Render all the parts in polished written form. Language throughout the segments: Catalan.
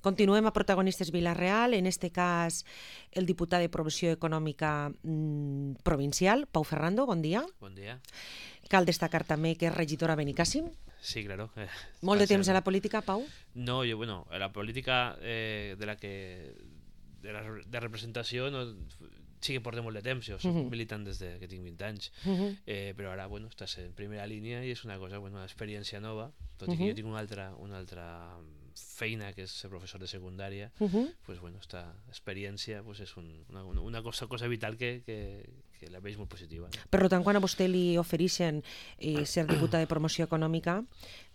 Continuem a protagonistes Vila-real, en este cas el diputat de Promoció Econòmica provincial, Pau Ferrando, bon dia. Buen día. Cal destacar també que és regidor a Benicàssim. Sí, claro. Molt de temps a la política, Pau? No, yo, bueno, a la política de representació no, sí que portem molt de temps, jo soc militant des que tinc 20 anys, però ara, bueno, estàs en primera línia i és una cosa, bueno, una experiència nova, tot i que jo tinc una altra feina, que és ser professor de secundària, pues bueno, esta experiència pues és una cosa vital que la veig molt positiva. No? Per tant, quan a vostè li ofereixen ser diputat de Promoció Econòmica,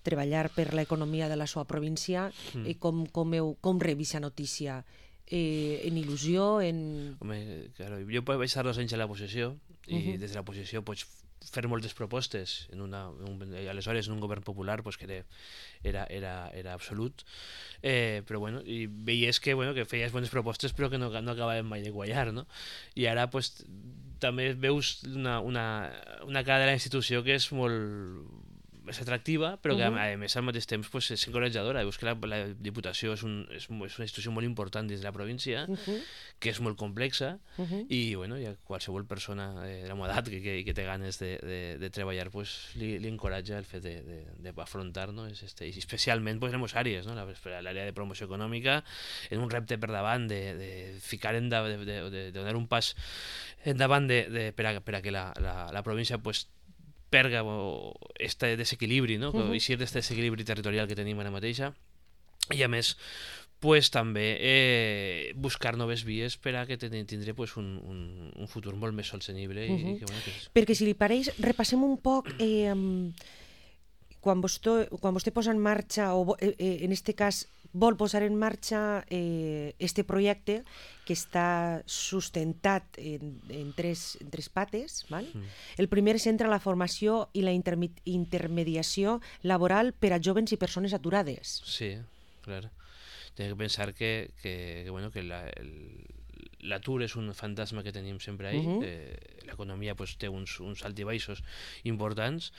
treballar per l'economia de la seva província, com revisa notícia? En il·lusió, en... Home, claro, jo vaig estar 2 anys a la posició i des de la posició pots fer moltes propostes aleshores en un govern popular pues, que era absolut, però bueno, i veies que feies bones propostes però que no acabaven mai de quallar, no? I ara pues, també veus una cara de la institució que és molt atractiva, però que a més al mateix temps pues, és encoratjadora. Veus que la Diputació és una institució molt important dins de la província, que és molt complexa i bueno, ja qualsevol persona de la meva edat que té ganes de treballar pues, li encoratja el fet d'afrontar, no? I especialment pues, en les àrees, no? L'àrea de promoció econòmica, en un repte per davant de ficar de donar un pas endavant per a que la província pues, perga este desequilibri, no? Eixir d'aquest desequilibri territorial que tenim ara mateixa i a més pues, també buscar noves vies per a que tindre pues, un futur molt més sostenible. Perquè si li pareix, repassem un poc quan vostè posa en marxa, o en aquest cas vol posar en marxa este projecte que està sustentat en tres pates. Val? El primer centra la formació i la intermediació laboral per a joves i persones aturades. Sí, clar. Té que pensar que l'atur és un fantasma que tenim sempre ahí. L'economia pues, té uns alts i baixos importants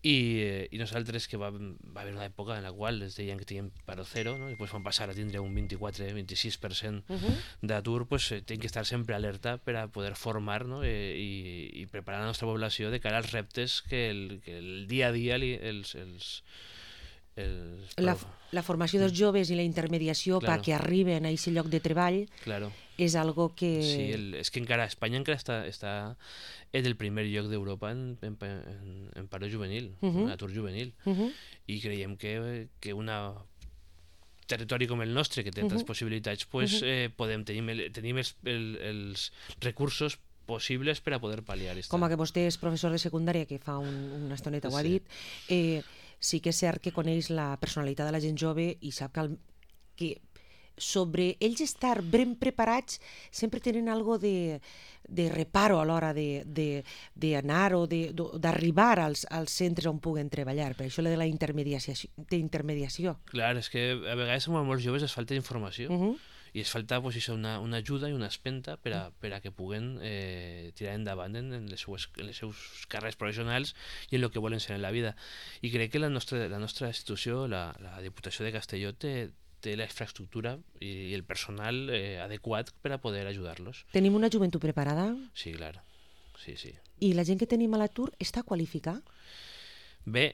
i nosaltres que va haver una època en la qual es deien que teníem paro zero, no? I després van passar a tindre un 24-26% d'atur, pues, hem que estar sempre alerta per a poder formar, no? I preparar la nostra població de cara als reptes que el dia a dia la formació dels joves i la intermediació perquè arriben a aquest lloc de treball és algo que... Sí, és que encara Espanya encara està en el primer lloc d'Europa en paro juvenil, en atur juvenil, i creiem que un territori com el nostre, que té tantes possibilitats, pues, tenim els recursos possibles per a poder pal·liar. Com que vostè és professor de secundària, que fa una estoneta ho ha dit, sí que és cert que coneix la personalitat de la gent jove i sap que sobre ells estar ben preparats sempre tenen algo de reparo a l'hora d'anar o d'arribar als centres on puguen treballar. Per això de la intermediació. Clar, és que a vegades a molts joves es falta informació i es falta pues, una ajuda i una espenta per a que puguen tirar endavant en les seus carreres professionals i en el que volen ser en la vida. I crec que la nostra institució, la Diputació de Castelló, té la infraestructura i el personal adequat per a poder ajudar-los. Tenim una joventut preparada? Sí, clar. Sí, sí. I la gent que tenim a l'atur està qualificada? Bé,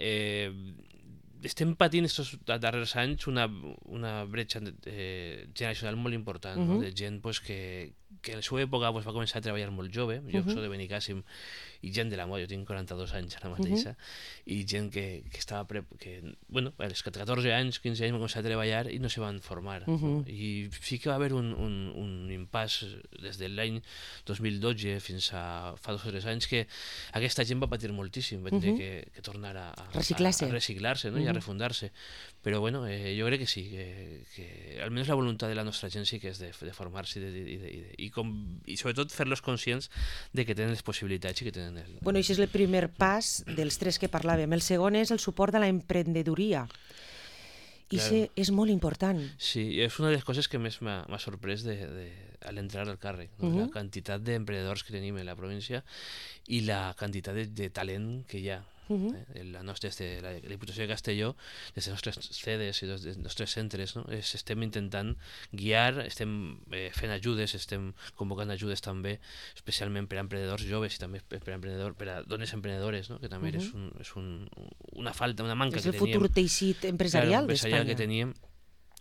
estem patint aquests darrers anys una bretxa generacional molt important, no? De gent pues, que en la seva època pues, va començar a treballar molt jove. Jo soc de Benicàssim i gent de la moda, jo tinc 42 anys ara mateixa, i gent que estava bueno, als 14 anys, 15 anys va començar a treballar i no se van formar. No? I sí que va haver un impàs des de l'any 2012 fins a fa 2 o 3 anys que aquesta gent va patir moltíssim, va tenir que tornar a reciclar-se, no? I a refundar-se. Però bueno, jo crec que sí, que almenys la voluntat de la nostra gent sí que és de formar-se i sobretot fer-los conscients de que tenen les possibilitats i que tenen Bueno, això és el primer pas dels 3 que parlàvem. El segon és el suport a la emprenedoria. I això és molt important. Sí, és una de les coses que més m'ha sorprès a l'entrar al càrrec. No? La quantitat d'emprenedors que tenim en la província i la quantitat de talent que hi ha. La nostra, des de la Diputació de Castelló, des dels nostres sedes i dels nostres centres, no? Estem intentant guiar, estem fent ajudes, estem convocant ajudes també, especialment per a emprenedors joves i també per a dones emprenedores, no? Que també és una falta, una manca que teníem. És el futur teixit empresarial d'Espanya. Que teníem.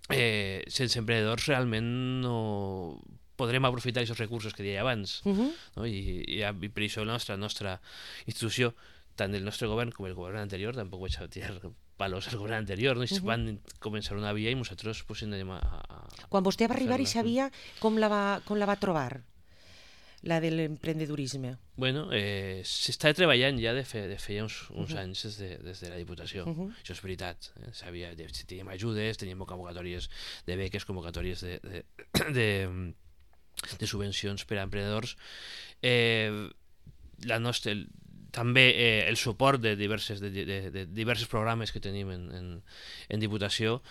Sense emprenedors realment no podrem aprofitar aquests recursos que deia abans, no? I per això la nostra institució, tant el nostre govern com el govern anterior, tampoc vaig a tirar palos al govern anterior, no? Van començar una via i nosaltres pues, anem a quan vostè va arribar i sabia com la va trobar, la de l'emprendedurisme? Bueno, s'estava treballant ja de feia uns anys des de la Diputació, això és veritat. Teníem ajudes, teníem convocatòries de beques, convocatòries de subvencions per a emprenedors. També el suport de diversos programes que tenim en Diputació,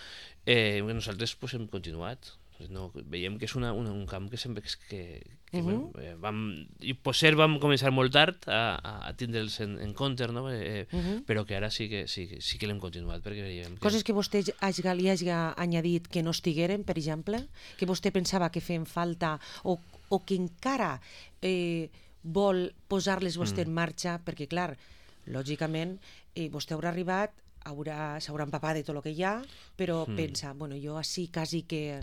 nosaltres pues, hem continuat. No, veiem que és un camp que sempre vam començar molt tard a tindre'ls en compte, no? Però que ara sí que l'hem continuat, perquè veiem coses que vostè li hagi añadit que no estigueren, per exemple, que vostè pensava que feien falta o que encara vol posar-les vostè en marxa, perquè clar, lògicament vostè haurà arribat, s'haurà empapat de tot el que hi ha, però pensa, bueno, jo així quasi que...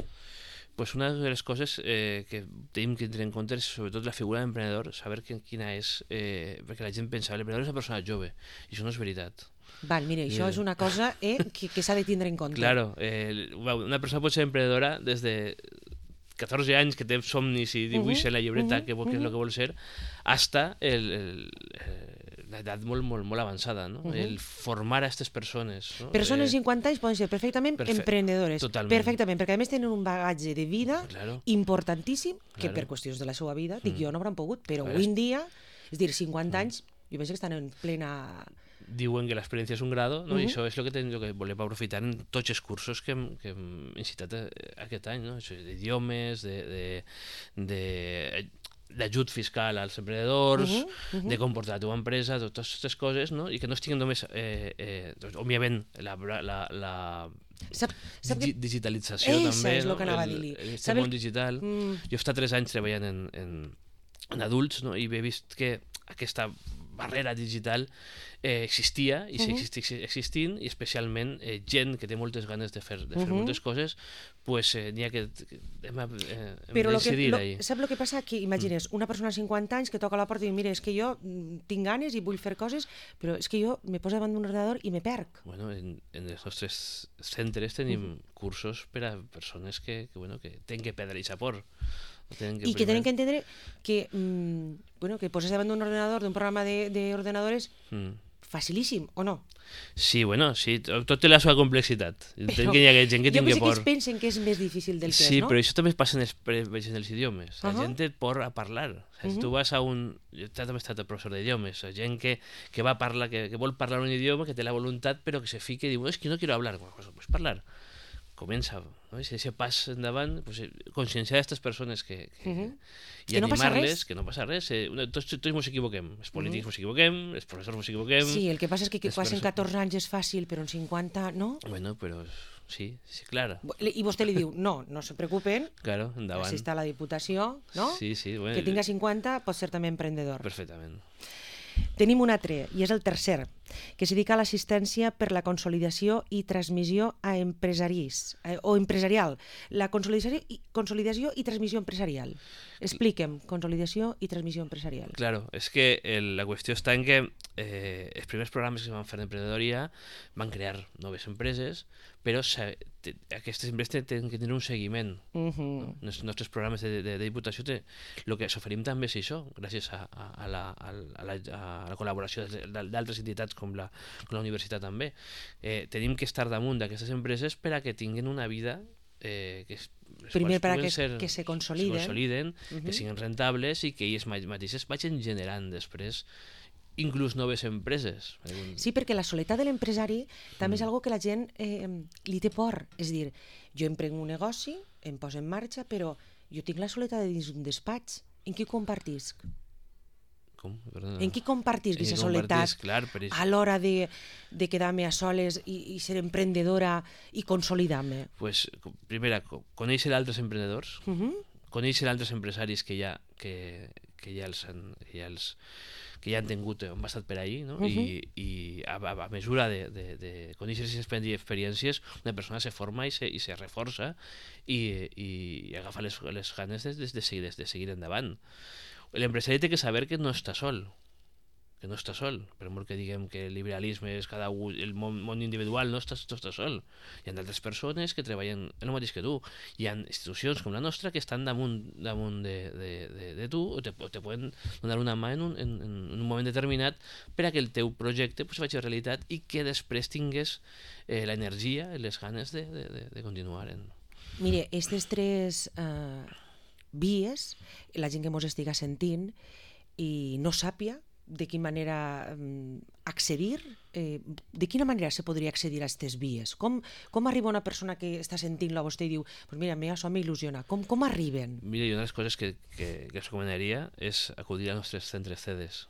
Pues una de les coses que tenim que tenir en compte és sobretot la figura de l'emprenedor, saber quina és, perquè la gent pensa, l'emprenedor és una persona jove, i això no és veritat. Val, mira, això és una cosa que s'ha de tindre en compte. Claro, una persona pot ser emprenedora des de 14 anys que té somnis i dibuixa en la llibreta què és el que vol ser, hasta l'edat molt avançada, no? El formar a aquestes persones. No? Persones de 50 anys poden ser perfectament emprenedores. Totalment. Perfectament, perquè a més tenen un bagatge de vida importantíssim, que per qüestions de la seva vida, dic jo, no hauran pogut, però avui en dia, és dir, 50 anys, jo penso que estan en plena... Diuen que l'experiència és un grado, no? I això és el que volem aprofitar en tots els cursos que hem incitat aquest any, no? D'idiomes, d'ajut fiscal als emprenedors, de comportar la teva empresa, totes aquestes coses, no? I que no estiguin només, òbviament, la digitalització també, és el que anava a dir-li. Este món digital. Jo he estat 3 anys treballant en adults, no? I he vist que aquesta barrera digital existia i segueix existint, i especialment gent que té moltes ganes de fer moltes coses, pues n'hi ha que hem de decidir ahí. Sap el que passa? Que imagines una persona de 50 anys que toca a la porta i diu, mira, és que jo tinc ganes i vull fer coses, però és que jo me poso davant d'un ordenador i me perc. Bueno, en els nostres centres tenim cursos per a persones que tenen que perdre aquest por. I que tenen que entendre que que poses davant d'un ordenador, d'un programa d'ordenadores facilíssim, o no? Sí, sí, tot té la seva complexitat. Entenc que hi ha gent que tingui por. Jo penso que ells pensen que és més difícil del que és, no? Sí, però això també passa en els idiomes. La gent té por a parlar. Si tu vas a un... Jo també he estat professor d'idiomes. La gent que va a parlar, que vol parlar un idioma, que té la voluntat, però que se fica i diu, és que no quiero hablar. Pues parlar. Comença, no? Si aquest pas endavant, conscienciar aquestes persones i animar-les, que no passa res. Tots ens equivoquem, els polítics ens equivoquem, els professors ens equivoquem. Sí, el que passa és que passen 14 anys és fàcil, però en 50, no? Bueno, però sí, clar. I vostè li diu, no se preocupen, claro, endavant. Així està la Diputació, no? Sí, bueno. Que tinga 50 pot ser també emprendedor. Perfectament. Tenim un altre, i és el tercer, que es dedica a l'assistència per la consolidació i transmissió a empresaris, o empresarial. La consolidació i transmissió empresarial. Expliquem, consolidació i transmissió empresarial. Claro, és que la qüestió està en que els primers programes que es van fer d'emprenedoria van crear noves empreses, però aquestes empreses tenen que tenir un seguiment. No? Els nostres programes de Diputació, el que s'oferim també és això, gràcies a la col·laboració d'altres entitats com la universitat també. Tenim que estar damunt d'aquestes empreses per a que tinguin una vida primer per a que se consoliden, que siguin rentables i que ells mateixes vagin generant després inclús noves empreses. Sí, perquè la soledat de l'empresari també és algo que la gent li té por. És dir, jo emprenc un negoci, em poso en marxa, però jo tinc la soledat de dins un despatx. En què compartisc? Com? Perdona. En qui compartís aquesta soledat Clar, a l'hora de quedar-me a soles i ser emprendedora i consolidar-me? Pues, primera, conèixer altres emprenedors, conèixer altres empresaris que ja han tingut, han passat per ahí, no? I a mesura de conèixer aquestes experiències, una persona se forma i se reforça i agafa les ganes de seguir endavant. L'empresari té que saber que no està sol, per molt que diguem que el liberalisme és cada un, el món individual, no estàs sol. Hi ha d'altres persones que treballen el mateix que tu. Hi ha institucions com la nostra que estan damunt de tu o te poden donar una mà en un moment determinat per a que el teu projecte pues, faci realitat i que després tingues l'energia i les ganes de continuar. Mire, aquestes tres vies, la gent que mos estiga sentint i no sàpia de quina manera accedir, de quina manera se podria accedir a aquestes vies? Com arriba una persona que està sentint-lo a vostè i diu, pues mira, això m'il·lusiona. Com arriben? Mira, una de les coses que els recomanaria és acudir als nostres centres CEDES.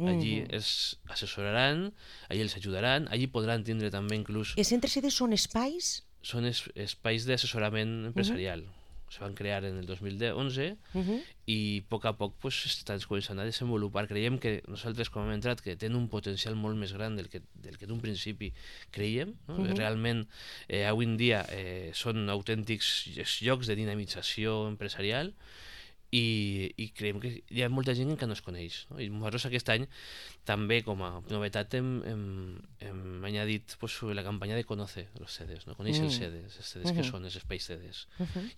Allí els assessoraran, allí els ajudaran, allí podran tindre també inclús... Els centres CEDES són espais? Són espais d'assessorament empresarial. Se van crear en el 2011 i a poc pues, estan començant a desenvolupar. Creiem que nosaltres, com hem entrat, que tenen un potencial molt més gran del que d'un principi creiem. No? Realment, avui en dia són autèntics llocs de dinamització empresarial i creiem que hi ha molta gent que no es coneix. No? I nosaltres aquest any també com a novetat hem añadit pues, la campanya de Conoce los CEDES, no? Conèixer els CEDES que són els espais CEDES.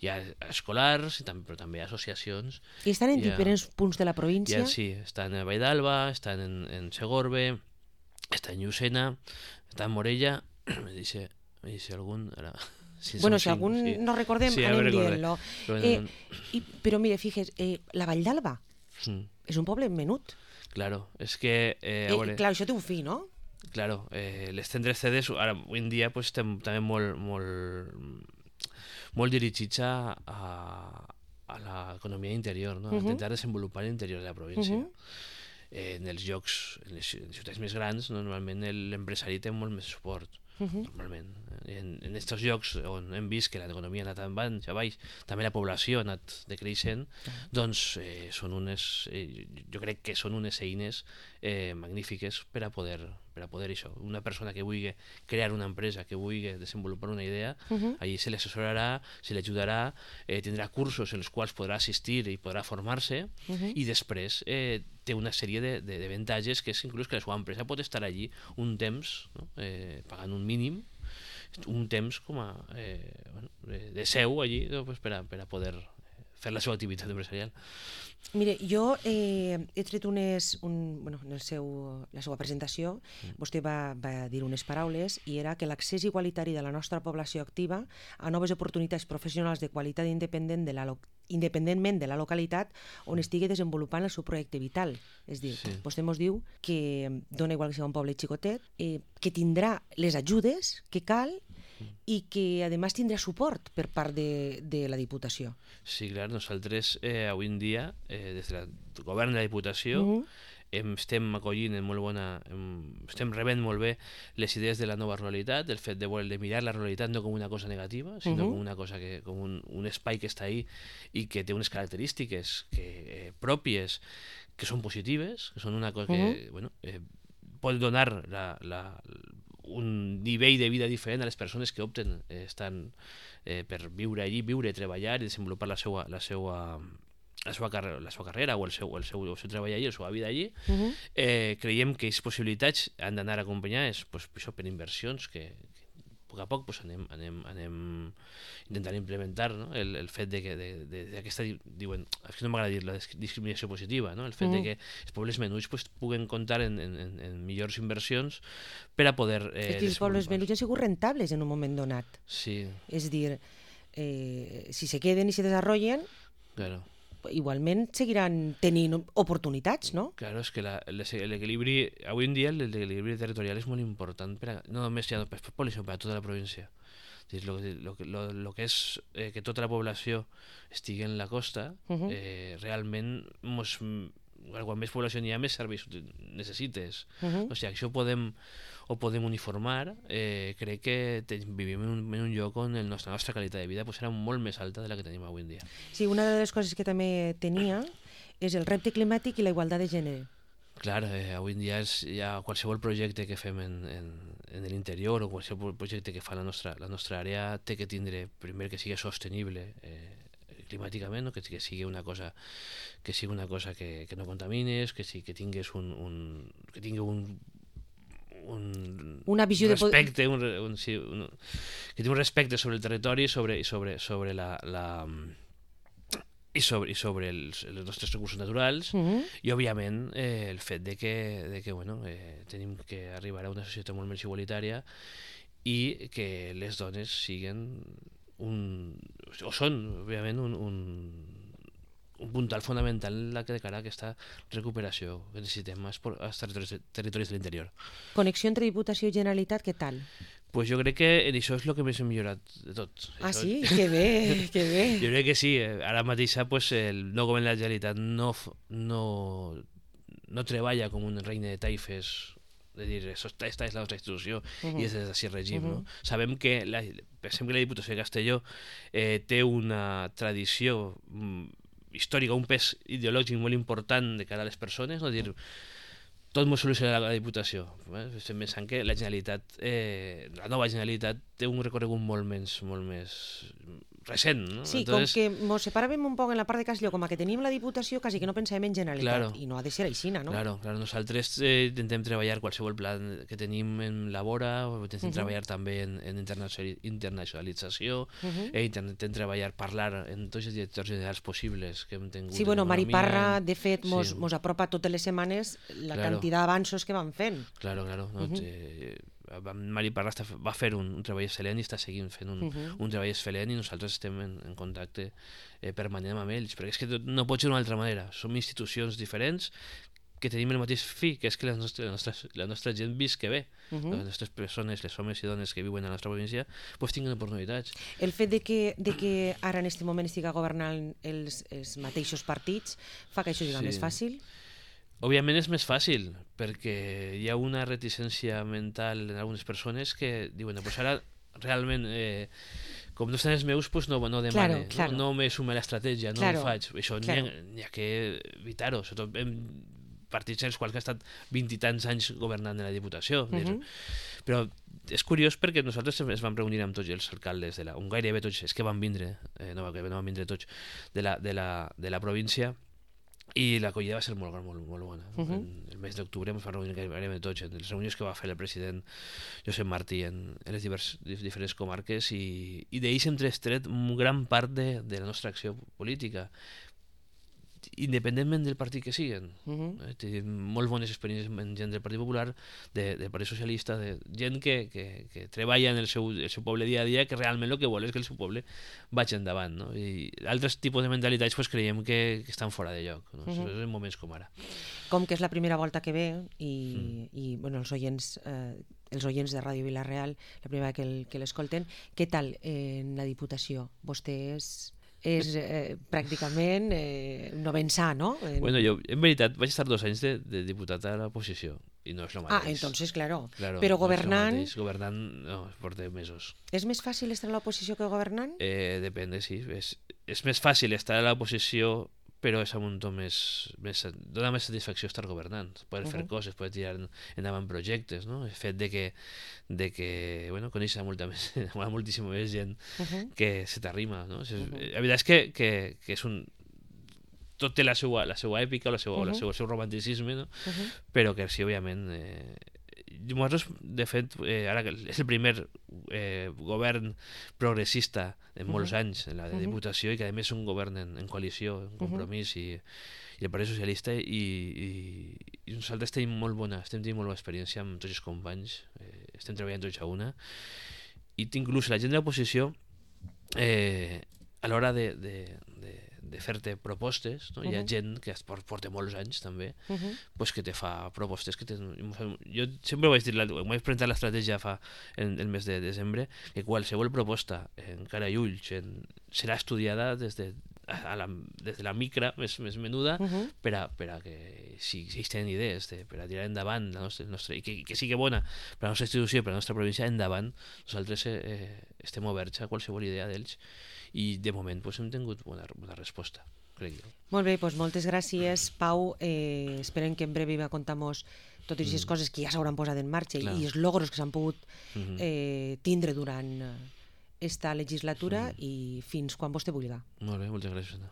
Hi ha escolars, però també associacions. I estan en diferents punts de la província? Sí, estan a Vall d'Alba, estan en Segorbe, estan en Llucena, estan en Morella, me dice algun... Ara... Si algun no recordem, anem dient-lo. Però mira, fíjate, la Vall d'Alba és un poble menut. Claro, és que... Clar, això té un fi, no? Claro, les centres CEDES, ara, avui en dia, pues, estem també molt dirigits a l'economia interior, no? A intentar desenvolupar l'interior de la província. En els llocs, en les ciutats més grans, normalment l'empresari té molt més suport. Normalment. En aquests llocs on hem vist que l'economia ha anat a baix, també la població ha anat decreixent, doncs són jo crec que són unes eines magnífiques per a poder això. Una persona que vulgui crear una empresa, que vulgui desenvolupar una idea, allí se l'assessorarà, se l'ajudarà, tindrà cursos en els quals podrà assistir i podrà formar-se i després té una sèrie d'avantatges que és inclús que la seva empresa pot estar allí un temps, no? Pagant un mínim, un temps com a de seu allí per a poder fer la seva activitat empresarial. Mire, jo he tret en la seva presentació, vostè va dir unes paraules i era que l'accés igualitari de la nostra població activa a noves oportunitats professionals de qualitat independentment de la localitat on estigui desenvolupant el seu projecte vital. És dir, vostè ens diu que dona igual que sigui un poble xicotet, que tindrà les ajudes que cal i que a més tindrà suport per part de la Diputació. Sí, clar, nosaltres avui en dia, des del govern de la Diputació, estem acollint estem rebent molt bé les idees de la nova ruralitat, del fet de mirar la ruralitat no com una cosa negativa, sinó com una cosa com un espai que està ahí i que té unes característiques pròpies que són positives, que són una cosa que pot donar un nivell de vida diferent a les persones que opten per viure allí, viure, treballar i desenvolupar la seva carrera o el seu treball allí, la seva vida allí. Creiem que aquestes possibilitats han d'anar acompanyades per inversions que a poc a poc anem intentant implementar, no? El fet d'aquesta, diuen, és que no m'agrada dir la discriminació positiva, no? El fet que els pobles menuts puguen comptar en millors inversions per a poder és que els pobles menuts han sigut rentables en un moment donat. Sí. És dir, si se queden i se desenvolupen, claro, igualment seguiran tenint oportunitats, no? Claro, és que l'equilibri, avui en dia l'equilibri territorial és molt important no només per pobles, sinó per a tota la província. El que és que tota la població estigui en la costa, realment quan més població n'hi ha, més serveis necessites. O sigui, això ho podem uniformar. Crec que vivim en un lloc on la nostra qualitat de vida serà molt més alta de la que tenim avui en dia. Sí, una de les coses que també tenia és el repte climàtic i la igualtat de gènere. Clar, avui en dia ja qualsevol projecte que fem en l'interior o qualsevol projecte que fa la nostra àrea té que tindre, primer, que sigui sostenible climàticament, no? Que sigui una cosa que no contamines, que tingués que tingui una visió respecte, que tingui un respecte sobre el territori i sobre els nostres recursos naturals, i òbviament el fet de que tenim que arribar a una societat molt més igualitària i que les dones siguin són òbviament un puntal fonamental de cara a aquesta recuperació que necessitem als territoris de l'interior. Connexió entre Diputació i Generalitat, què tal? Pues jo crec que això és el que més hem millorat de tot. Ah, sí? Que bé, que bé. Jo crec que sí. Ara mateix pues, el nou govern de la Generalitat no treballa com un regne de taifes, de dir, esta és la nostra institució i és així el règim. No? Sabem que, pensem que la Diputació de Castelló té una tradició històrica, un pes ideològic molt important de cara a les persones, no? Dir, tot molt solucionat a la Diputació. Estem pensant que la Generalitat, la nova Generalitat, té un recorregut molt més recent. No? Sí, entonces, com que ens separàvem un poc en la part de Castelló, com que teníem la Diputació, quasi que no pensàvem en Generalitat, i no ha de ser així, no? Claro, nosaltres intentem treballar qualsevol pla que tenim en Labora, intentem treballar també en internacionalització, intentem treballar, parlar en tots els directors generals possibles que hem tingut. Sí, bueno, Mari Parra, de fet, mos apropa totes les setmanes la quantitat d'avanços que van fent. Claro. Mari Parra va fer un treball excel·lent i està seguint fent un treball excel·lent, i nosaltres estem en contacte permanent amb ells, perquè és que no pot ser d'una altra manera. Som institucions diferents que tenim el mateix fi, que és que la nostra gent visca bé. Les nostres persones, les homes i dones que viuen a la nostra província, pues tinguin oportunitats. El fet de que ara en aquest moment estiga governant els mateixos partits fa que això sigui més fàcil? Òbviament és més fàcil, perquè hi ha una reticència mental en algunes persones que diuen, pues ara realment, com no estan els meus, pues no demane, no me sume a l'estratègia, no ho faig. Això n'hi ha que evitar-ho, sobretot en partits els quals que ha estat 20 i tants anys governant en la Diputació. Però és curiós perquè nosaltres es vam reunir amb tots els alcaldes, gairebé tots, és que van vindre, no van vindre tots, de la província, i l'acollida va ser molt bona. El mes d'octubre ens va reunir gairebé tots en les reunions que va fer el president Josep Martí en les diferents comarques, i d'ells hem tret gran part de la nostra acció política, independentment del partit que siguen. Tenim molt bones experiències amb gent del Partit Popular, del Partit Socialista, de gent que treballa en el seu poble dia a dia, que realment el que vol és que el seu poble vagi endavant. No? I altres tipus de mentalitats pues, creiem que estan fora de lloc, no? En moments com ara. Com que és la primera volta que ve i bueno, els oients de Ràdio Vila-real, la primera que l'escolten, què tal en la Diputació? Vostè és pràcticament novensà, no? Bueno, jo en veritat vaig estar 2 anys de diputat a l'oposició i no és el mateix. Entonces, claro. Però governant... Governant, no, porta mesos. És més fàcil estar a l'oposició que governant? Depèn, sí. És més fàcil estar a l'oposició, però és un to dona més satisfacció estar governant, poder fer coses, poder tirar endavant projectes, no? El fet de que coneixes moltíssima més gent que se t'arrima, no? La veritat és que és tot té la seva èpica, el seu romanticisme, no? Però que sí, òbviament, nosaltres, de fet, ara és el primer govern progressista en molts anys en la Diputació, i que a més és un govern en coalició, en compromís, i el Partit Socialista, i nosaltres estem tenint molt bona experiència amb tots els companys, estem treballant tots a una, i inclús la gent de l'oposició, a l'hora de fer-te propostes, no? Hi ha gent que porta molts anys també, pues, que te fa propostes jo sempre vaig dir, vaig presentar l'estratègia en el mes de desembre, que qualsevol proposta en cara i ulls serà estudiada des de des de la micra més menuda, per a que si tenen idees per a tirar endavant i que sigui bona per a la nostra institució i per a la nostra província, endavant. Nosaltres estem oberts a qualsevol idea d'ells i de moment hem tingut bona resposta, crec jo. Molt bé, doncs moltes gràcies, Pau. Esperem que en breu va contar-nos totes aquestes coses que ja s'hauran posat en marxa i els logros que s'han pogut tindre durant esta legislatura i fins quan vostè vulgui. Molt bé, moltes gràcies, Anna.